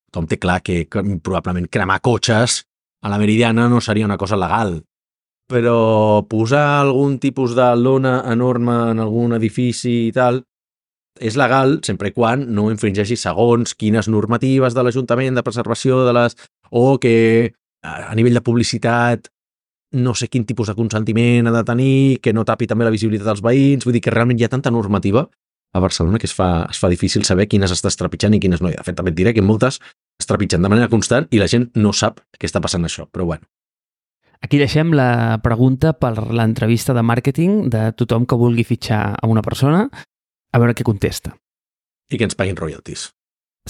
S1: Tothom té clar que probablement cremar cotxes a la Meridiana no seria una cosa legal, però posar algun tipus de lona enorme en algun edifici i tal és legal sempre i quan no infringeixi segons quines normatives de l'Ajuntament de preservació de les... o que a nivell de publicitat no sé quin tipus de consentiment ha de tenir, que no tapi també la visibilitat dels veïns, vull dir que realment hi ha tanta normativa a Barcelona que es fa difícil saber quines estàs trepitjant i quines no. De fet, també et diré que moltes es trepitgen de manera constant i la gent no sap què està passant això, però bueno.
S2: Aquí deixem la pregunta per l'entrevista de màrqueting de tothom que vulgui fitxar a una persona, a veure què contesta.
S1: I que ens paguin royalties.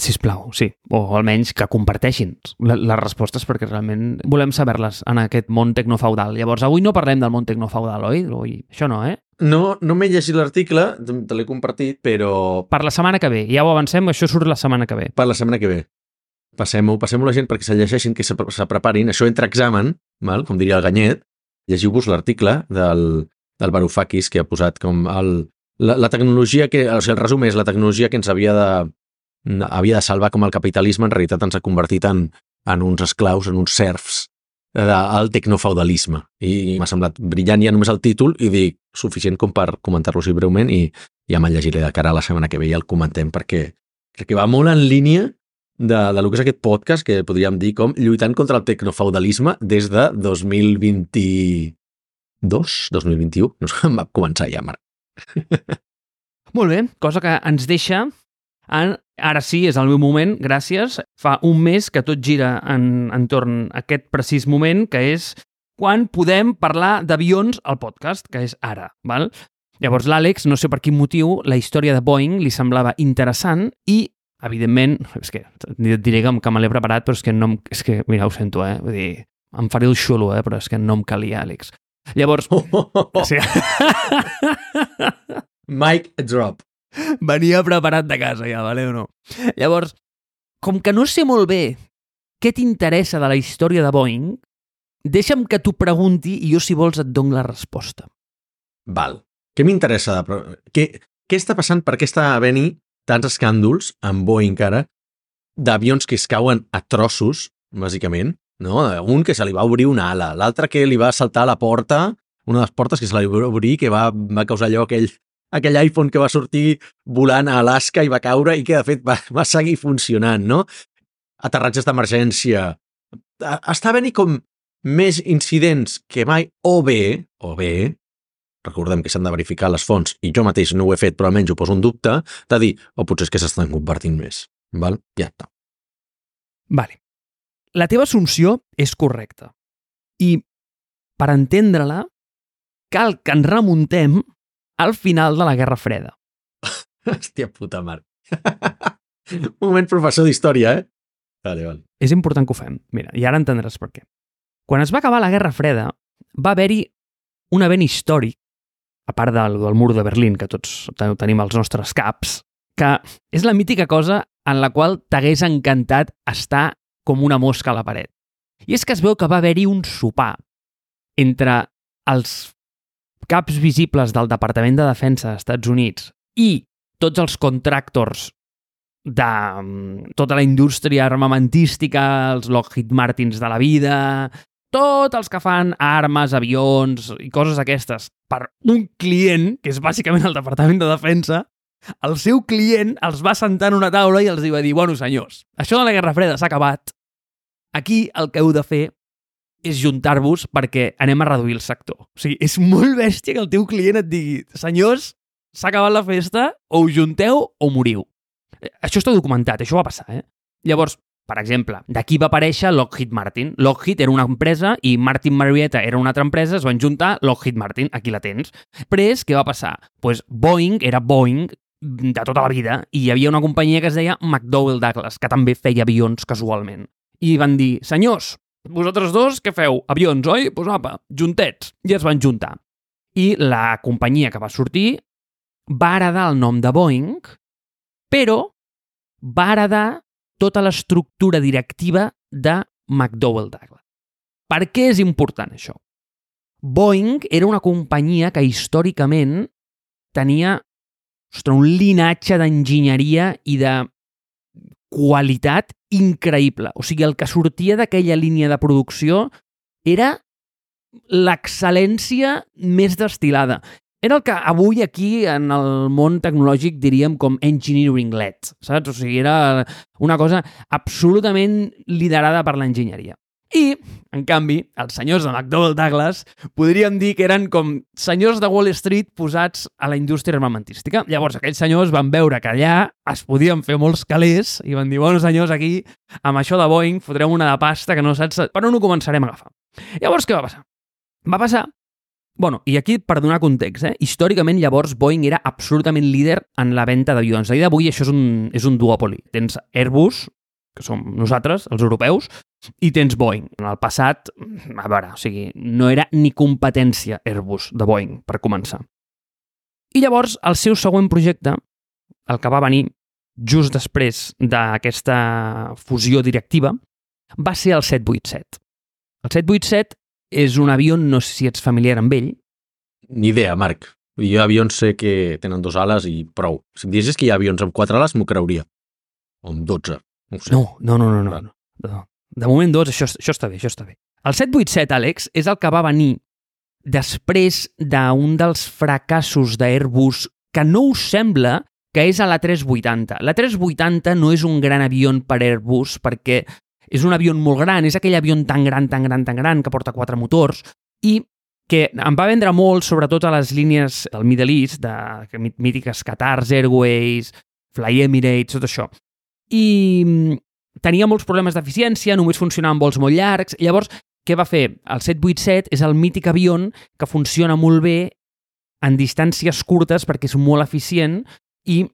S2: Sisplau, sí. O almenys que comparteixin les respostes perquè realment volem saber-les en aquest món tecnofeudal. Llavors, avui no parlem del món tecnofeudal, oi? Això no, eh?
S1: No m'he llegit l'article, te l'he compartit, però...
S2: Per la setmana que ve. Ja ho avancem, això surt la setmana que ve.
S1: Per la setmana que ve. Passem-ho la gent perquè se llegeixin, que se preparin. Això entre examen, val? Com diria el Ganyet. Llegiu-vos l'article del Varoufakis que ha posat com la tecnologia que... O sigui, el resum és la tecnologia que ens havia de salvar com el capitalisme en realitat ens ha convertit en uns esclaus, en uns serfs del tecnofeudalisme. I m'ha semblat brillant ja només el títol i dic suficient com per comentar-lo així breument i ja me'l llegiré de cara a la setmana que ve i el comentem perquè crec que va molt en línia de lo que és aquest podcast que podríem dir com lluitant contra el tecnofeudalisme des de 2022, 2021, no sé, va començar ja, Marc.
S2: Molt bé, cosa que ens deixa ara sí, és el meu moment, gràcies. Fa un mes que tot gira entorn a aquest precís moment, que és quan podem parlar d'avions al podcast, que és ara, val? Llavors l'Àlex, no sé per quin motiu, la història de Boeing li semblava interessant i, evidentment, és que et diré que me l'he preparat, però és que, mira, ho sento, vull dir, em faré el xulo, però és que no em calia, Àlex. Llavors... Sí.
S1: Mic drop.
S2: Venia preparat de casa ja, vale o no? Llavors, com que no sé molt bé què t'interessa de la història de Boeing, deixa'm que t'ho pregunti i jo, si vols, et dono la resposta.
S1: Val. Què m'interessa? Què està passant? Per què està havent-hi tants escàndols amb Boeing ara d'avions que es cauen a trossos, bàsicament, no? Un que se li va obrir una ala, l'altre que li va saltar a la porta, una de les portes que se li va obrir, que va causar allò aquell iPhone que va sortir volant a Alaska i va caure i que, de fet, va seguir funcionant, no? Aterratges d'emergència. Està havent-hi com més incidents que mai, o bé, recordem que s'han de verificar les fonts, i jo mateix no ho he fet, però almenys ho poso en dubte, de dir, potser és que s'estan convertint més. Val? Ja està.
S2: Vale. La teva assumpció és correcta. I, per entendre-la, cal que ens remuntem al final de la Guerra Freda.
S1: Hòstia puta, Marc. Un moment professor d'història, Vale.
S2: És important que ho fem. Mira, i ara entendràs per què. Quan es va acabar la Guerra Freda, va haver-hi un event històric, a part del mur de Berlín, que tots tenim als nostres caps, que és la mítica cosa en la qual t'hagués encantat estar com una mosca a la paret. I és que es veu que va haver-hi un sopar entre els caps visibles del Departament de Defensa dels Estats Units i tots els contractors de tota la indústria armamentística, els Lockheed Martins de la vida, tots els que fan armes, avions i coses aquestes per un client, que és bàsicament el Departament de Defensa, el seu client els va sentar en una taula i els va dir, bueno, senyors, això de la Guerra Freda s'ha acabat. Aquí el que heu de fer és juntar-vos perquè anem a reduir el sector. O sigui, és molt bèstia que el teu client et digui, senyors, s'ha acabat la festa, o us junteu o moriu. Això està documentat, això va passar, Llavors, per exemple, d'aquí va aparèixer Lockheed Martin. Lockheed era una empresa i Martin Marietta era una altra empresa, es van juntar Lockheed Martin, aquí la tens. Després, què va passar? Pues Boeing era Boeing de tota la vida i hi havia una companyia que es deia McDonnell Douglas, que també feia avions casualment. I van dir, senyors, vosaltres dos, què feu? Avions, oi? Doncs apa, juntets. I es van juntar. I la companyia que va sortir va heredar el nom de Boeing, però va heredar tota l'estructura directiva de McDonnell Douglas. Per què és important això? Boeing era una companyia que històricament tenia un linatge d'enginyeria i de qualitat increïble. O sigui, el que sortia d'aquella línia de producció era l'excel·lència més destil·lada. Era el que avui aquí en el món tecnològic diríem com engineering-led, saps? O sigui, era una cosa absolutament liderada per l'enginyeria. I, en canvi, els senyors de McDonnell Douglas podríem dir que eren com senyors de Wall Street posats a la indústria armamentística. Llavors, aquells senyors van veure que allà es podien fer molts calés i van dir, bueno, senyors, aquí, amb això de Boeing, fotrem una de pasta que no saps per on ho començarem a agafar. Llavors, què va passar? Va passar... Bueno, i aquí, per donar context, històricament, llavors, Boeing era absolutament líder en la venda d'avions. A dia d'avui això és un duòpoli. Tens Airbus, que som nosaltres, els europeus, i tens Boeing. En el passat, a veure, o sigui, no era ni competència Airbus de Boeing, per començar. I llavors, el seu següent projecte, el que va venir just després d'aquesta fusió directiva, va ser el 787. El 787 és un avió, no sé si ets familiar amb ell.
S1: Ni idea, Marc. Jo avions sé que tenen 2 ales i prou. Si em diguessis que hi ha avions amb 4 ales, m'ho creuria. O amb 12. No ho sé.
S2: No. De moment 2, això està bé, això està bé. El 787, Àlex, és el que va venir després d'un dels fracassos d'Airbus que no us sembla que és a l'A380. L'A380 no és un gran avió per Airbus perquè és un avió molt gran, és aquell avió tan gran que porta 4 motors i que em va vendre molt, sobretot a les línies del Middle East, de mítiques Qatar Airways, Fly Emirates, tot això. I tenia molts problemes d'eficiència, només funcionava en vols molt llargs. Llavors, què va fer? El 787 és el mític avió que funciona molt bé en distàncies curtes perquè és molt eficient i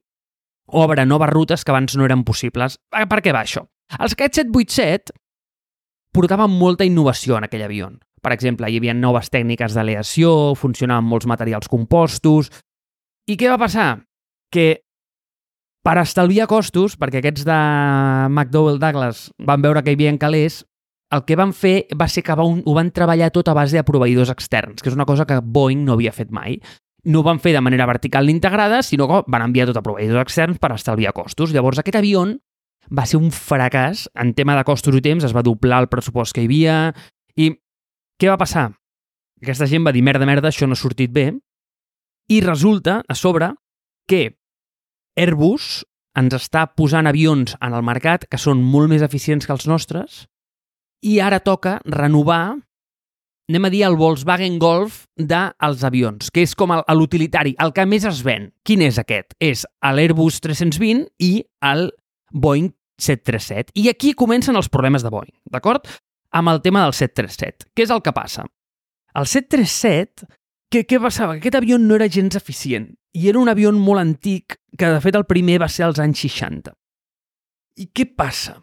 S2: obre noves rutes que abans no eren possibles. Per què va això? Els 787 portaven molta innovació en aquell avió. Per exemple, hi havia noves tècniques d'aleació, funcionaven molts materials compostos. I què va passar? Que per estalviar costos, perquè aquests de McDonnell Douglas van veure que hi havia calés, el que van fer va ser que ho van treballar tot a base de proveïdors externs, que és una cosa que Boeing no havia fet mai. No ho van fer de manera vertical ni integrada, sinó que van enviar tot a proveïdors externs per estalviar costos. Llavors, aquest avió va ser un fracàs en tema de costos i temps, es va doblar el pressupost que hi havia. I què va passar? Aquesta gent va dir, merda, això no ha sortit bé. I resulta, a sobre, que Airbus ens està posant avions en el mercat que són molt més eficients que els nostres i ara toca renovar, anem a dir, el Volkswagen Golf dels avions, que és com l'utilitari, el que més es ven. Quin és aquest? És l'Airbus 320 i el Boeing 737. I aquí comencen els problemes de Boeing, d'acord? Amb el tema del 737. Què és el que passa? El 737, què passava? Aquest avió no era gens eficient i era un avió molt antic que, de fet, el primer va ser als anys 60. I què passa?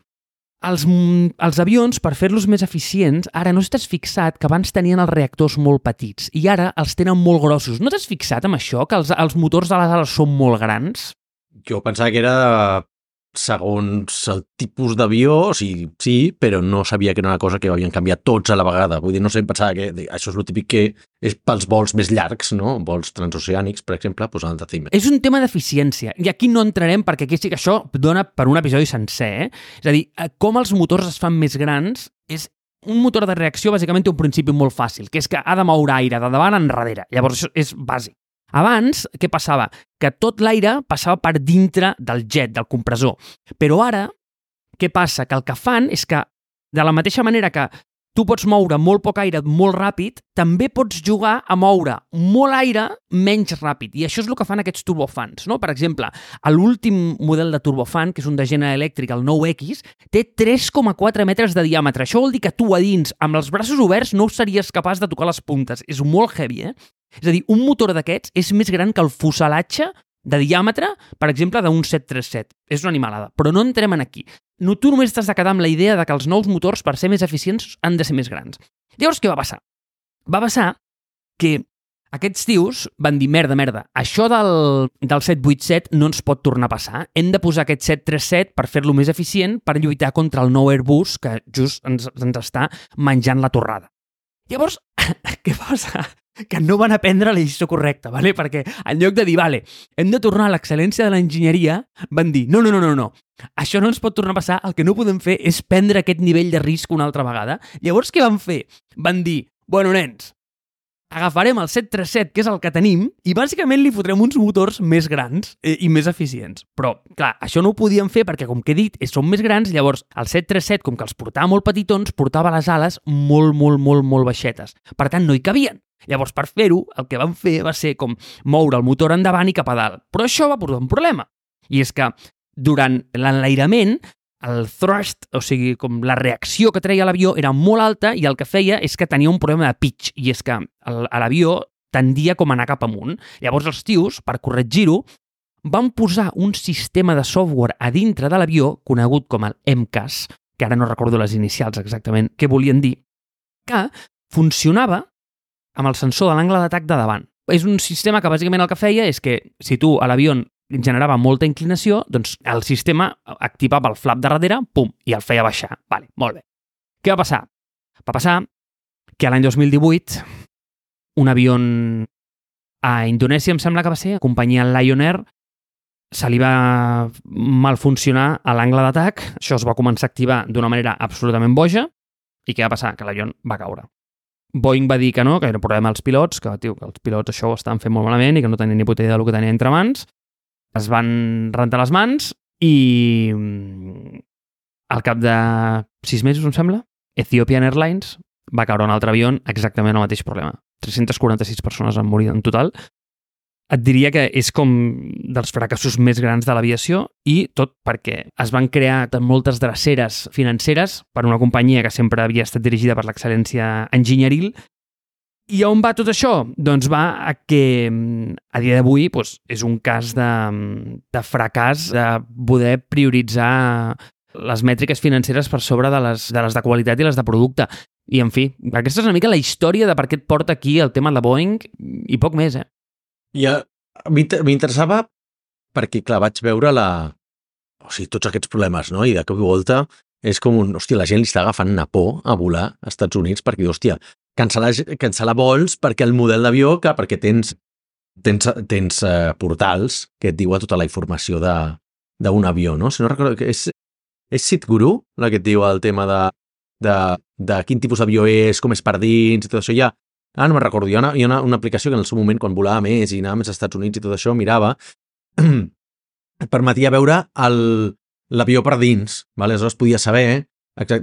S2: Els avions, per fer-los més eficients, ara no t'has fixat que abans tenien els reactors molt petits i ara els tenen molt grossos. No t'has fixat en això, que els motors de les ales són molt grans?
S1: Jo pensava que era segons el tipus d'avió, o sigui, sí, però no sabia que era una cosa que havien canviat tots a la vegada. Vull dir, no sé, pensava que això és el típic que és pels vols més llargs, no? Vols transoceànics, per exemple, doncs han de tenir.
S2: És un tema d'eficiència, i aquí no entrarem perquè aquí sí que això dona per un episodi sencer, És a dir, com els motors es fan més grans és un motor de reacció bàsicament té un principi molt fàcil, que és que ha de moure aire de davant enrere. Llavors això és bàsic. Abans, què passava? Que tot l'aire passava per dintre del jet, del compressor. Però ara, què passa? Que el que fan és que, de la mateixa manera que tu pots moure molt poc aire molt ràpid, també pots jugar a moure molt aire menys ràpid. I això és el que fan aquests turbofans, no? Per exemple, l'últim model de turbofan, que és un de General Electric, el 9X, té 3,4 metres de diàmetre. Això vol dir que tu a dins, amb els braços oberts, no series capaç de tocar les puntes. És molt heavy, És a dir, un motor d'aquests és més gran que el fuselatge de diàmetre, per exemple, d'un 737. És una animalada, però no entrem en aquí. No, tu només t'has de quedar amb la idea de que els nous motors, per ser més eficients, han de ser més grans. Llavors, què va passar? Va passar que Aquests tios van dir, merda, això del 787 no ens pot tornar a passar. Hem de posar aquest 737 per fer-lo més eficient per lluitar contra el nou Airbus que just ens està menjant la torrada. Llavors, què passa? Que no van aprendre la lliçó correcta, ¿vale? Perquè en lloc de dir, vale, hem de tornar a l'excel·lència de l'enginyeria, van dir, no, això no ens pot tornar a passar, el que no podem fer és prendre aquest nivell de risc una altra vegada. Llavors, què van fer? Van dir, bueno, nens, agafarem el 737, que és el que tenim, i bàsicament li fotrem uns motors més grans i més eficients. Però, clar, això no ho podien fer perquè, com que he dit, són més grans, llavors el 737, com que els portava molt petitons, portava les ales molt baixetes. Per tant, no hi cabien. Llavors, per fer-ho, el que van fer va ser com moure el motor endavant i cap a dalt. Però això va portar un problema. I és que durant l'enlairament, el thrust, o sigui, com la reacció que treia l'avió era molt alta i el que feia és que tenia un problema de pitch. I és que l'avió tendia com a anar cap amunt. Llavors els tios, per corregir-ho, van posar un sistema de software a dintre de l'avió, conegut com el MCAS, que ara no recordo les inicials exactament què volien dir, que funcionava amb el sensor de l'angle d'atac de davant. És un sistema que bàsicament el que feia és que si tu a l'avió generava molta inclinació, doncs el sistema activava el flap de darrere, pum, i el feia baixar. Vale, molt bé. Què va passar? Va passar que l'any 2018 un avió a Indonèsia, em sembla que va ser, companyia Lion Air, se li va mal funcionar a l'angle d'atac, això es va començar a activar d'una manera absolutament boja, i què va passar? Que l'avió va caure. Boeing va dir que no, que era un problema als pilots, que els pilots això ho estaven fent molt malament i que no tenien ni puta idea del que tenien entre mans. Es van rentar les mans i al cap de 6 mesos, em sembla, Ethiopian Airlines va caure un altre avió exactament el mateix problema. 346 persones han morit en total. Et diria que és com dels fracassos més grans de l'aviació i tot perquè es van crear moltes dreceres financeres per una companyia que sempre havia estat dirigida per l'excel·lència enginyeril. I on va tot això? Doncs va a que a dia d'avui és un cas de fracàs de poder prioritzar les mètriques financeres per sobre de les de qualitat i les de producte. I, en fi, aquesta és una mica la història de per què et porta aquí el tema de Boeing i poc més,
S1: I m'interessava perquè, clar, vaig veure tots aquests problemes, no? I de cop i volta és com hòstia, la gent li està agafant una por a volar als Estats Units perquè, hòstia, cancel·lar vols perquè el model d'avió, clar, perquè tens portals que et diuen tota la informació d'un avió, no? Si no recordo, és SeatGuru la que et diu el tema de quin tipus d'avió és, com és per dins i tot això. No me'n recordo, hi ha una aplicació que en el seu moment, quan volava més i anava més als Estats Units i tot això, mirava, et permetia veure l'avió per dins, vale? Aleshores podia saber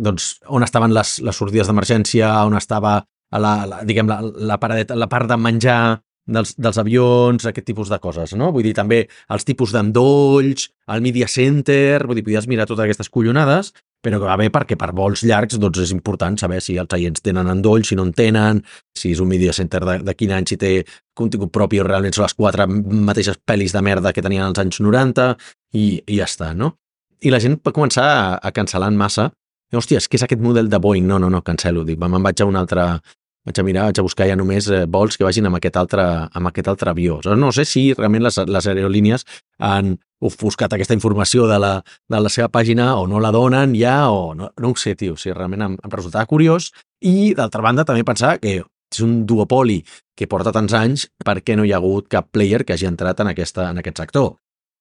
S1: doncs, on estaven les sortides d'emergència, on estava la part de menjar dels avions, aquest tipus de coses, no? Vull dir, també els tipus d'endolls, el Media Center, vull dir, podies mirar totes aquestes collonades, però que va bé perquè per vols llargs doncs és important saber si els seients tenen endolls, si no en tenen, si és un Media Center de quin any, si té contingut propi o realment són les 4 mateixes pel·lis de merda que tenien als anys 90 i ja està, no? I la gent va començar a cancel·lar en massa. Hòstia, és que és aquest model de Boeing. No, cancel·lo. Dic, me'n vaig a un altre... Vaig a buscar ja només vols que vagin amb aquest altre avió. No sé si realment les aerolínies han ofuscat aquesta informació de la seva pàgina o no la donen ja, o no ho sé, tio. O sigui, realment em resultava curiós. I, d'altra banda, també pensar que és un duopoli que porta tants anys, per què no hi ha hagut cap player que hagi entrat en aquest sector?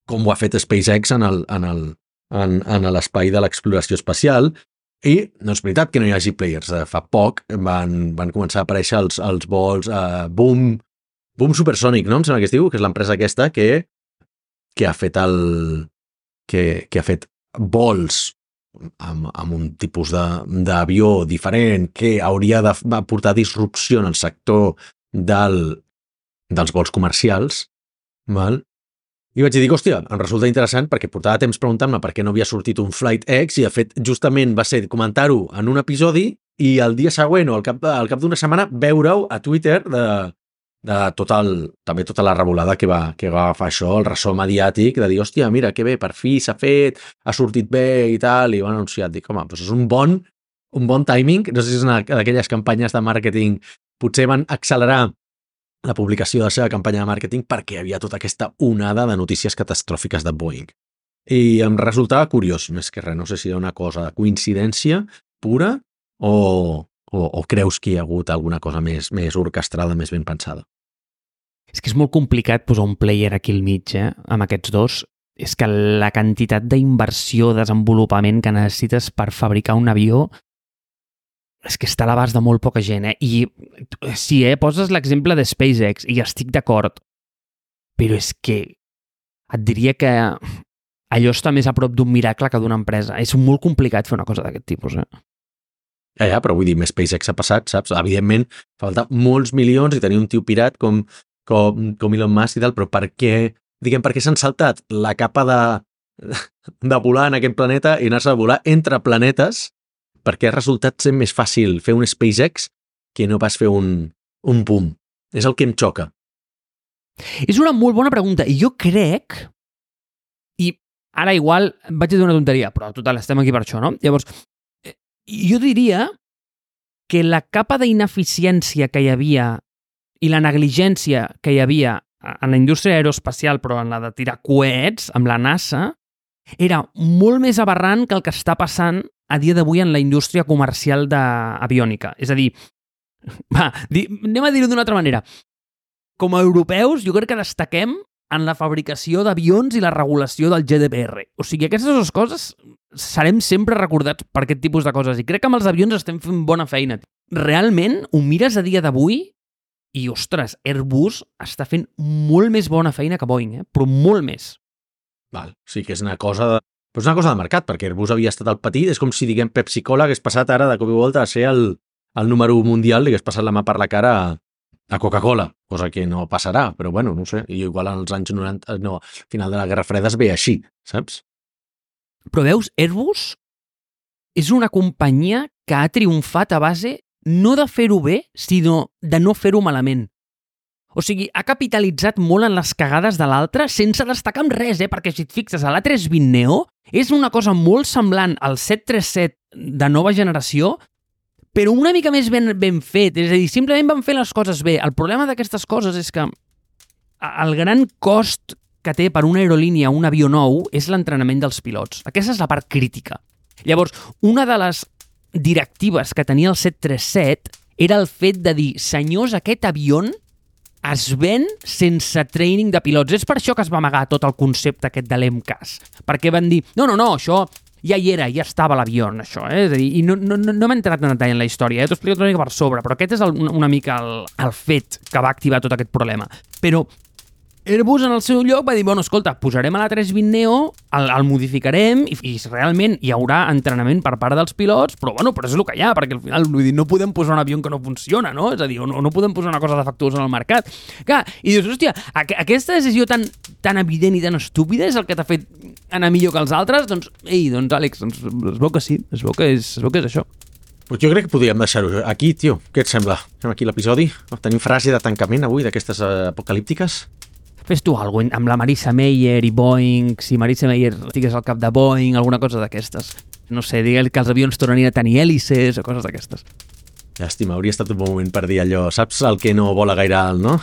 S1: Com ho ha fet SpaceX en l'espai de l'exploració espacial. I no és veritat que no hi hagi players. Fa poc van començar a aparèixer els vols Boom Supersonic, no? Em sembla que es diu, que és l'empresa aquesta que ha fet que ha fet vols amb un tipus d'avió diferent que hauria de portar disrupció en el sector dels vols comercials, val? I vaig dir, hòstia, em resulta interessant perquè portava temps preguntant-me per què no havia sortit un Flight X i, de fet, justament va ser comentar-ho en un episodi i el dia següent o al cap d'una setmana veure-ho a Twitter de també tota la revolada que va agafar això, el ressò mediàtic de dir, hòstia, mira, que bé, per fi s'ha fet, ha sortit bé i tal, i ho han anunciat. Dic, home, doncs és un bon timing. No sé si és una d'aquelles campanyes de màrqueting, potser van accelerar la publicació de la seva campanya de màrqueting perquè hi havia tota aquesta onada de notícies catastròfiques de Boeing. I em resultava curiós, més que res. No sé si era una cosa de coincidència pura o creus que hi ha hagut alguna cosa més orquestrada, més ben pensada.
S2: És que és molt complicat posar un player aquí al mig, amb aquests dos. És que la quantitat d'inversió, desenvolupament que necessites per fabricar un avió és que està a l'abast de molt poca gent, I sí, poses l'exemple de SpaceX i estic d'acord, però és que et diria que allò està més a prop d'un miracle que d'una empresa. És molt complicat fer una cosa d'aquest tipus,
S1: Ja, però vull dir, SpaceX ha passat, saps? Evidentment, falta molts milions i tenir un tio pirat com Elon Musk i tal, però per què s'han saltat la capa de volar en aquest planeta i anar-se a volar entre planetes, perquè ha resultat ser més fàcil fer un SpaceX que no pas fer un boom. És el que em xoca.
S2: És una molt bona pregunta, i jo crec, i ara igual vaig a dir una tonteria, però total, estem aquí per això, no? Llavors, jo diria que la capa d'ineficiència que hi havia i la negligència que hi havia en la indústria aeroespacial, però en la de tirar coets, amb la NASA, era molt més aberrant que el que està passant a dia d'avui en la indústria comercial d'aviònica. És a dir, anem a dir-ho d'una altra manera. Com a europeus, jo crec que destaquem en la fabricació d'avions i la regulació del GDPR. O sigui, aquestes dues coses serem sempre recordats per aquest tipus de coses. I crec que amb els avions estem fent bona feina. Realment, ho mires a dia d'avui i, ostres, Airbus està fent molt més bona feina que Boeing, però molt més.
S1: Val, sí que és una cosa de mercat, perquè Airbus havia estat al petit, és com si, diguem, Pepsi-Cola hagués passat ara de cop i volta a ser el número 1 mundial i hagués passat la mà per la cara a Coca-Cola, cosa que no passarà, però bueno, no sé, i igual als anys 90, no, al final de la Guerra Freda es ve així, saps?
S2: Però veus, Airbus és una companyia que ha triomfat a base no de fer-ho bé, sinó de no fer-ho malament. O sigui, ha capitalitzat molt en les cagades de l'altre sense destacar amb res, perquè si et fixes, a l'A320 Neo és una cosa molt semblant al 737 de nova generació, però una mica més ben fet. És a dir, simplement van fer les coses bé. El problema d'aquestes coses és que el gran cost que té per una aerolínia un avió nou és l'entrenament dels pilots. Aquesta és la part crítica. Llavors, una de les directives que tenia el 737 era el fet de dir, senyors, aquest avió es ven sense training de pilots. És per això que es va amagar tot el concepte aquest de l'EMCAS. Perquè van dir, no, això ja hi era, ja estava a l'avió, això. És a dir, i no m'he entrat en detall en la història, t'ho explico una mica per sobre, però aquest és una mica el fet que va activar tot aquest problema. Però Airbus en el seu lloc va dir, bueno, escolta, posarem a l'A320 Neo, el modificarem i realment hi haurà entrenament per part dels pilots, però és el que hi ha, perquè al final vull dir, no podem posar un avió que no funciona, no? És a dir, no podem posar una cosa defectuosa en el mercat. Clar, i dius, hòstia, aquesta decisió tan evident i tan estúpida és el que t'ha fet anar millor que els altres? Doncs, Àlex, es veu que sí, es veu que és això.
S1: Pues jo crec que podríem deixar-ho aquí, tio. Què et sembla? Fem aquí l'episodi? Tenim frase de tancament avui d'aquestes apocalíptiques?
S2: Fes tu alguna cosa amb la Marissa Mayer i Boeing, si Marissa Mayer estigués al cap de Boeing, alguna cosa d'aquestes. No sé, digue'l que els avions tornin a tenir hèlices o coses d'aquestes.
S1: Llàstima, hauria estat un bon moment per dir allò. Saps el que no vola gaire alt, no?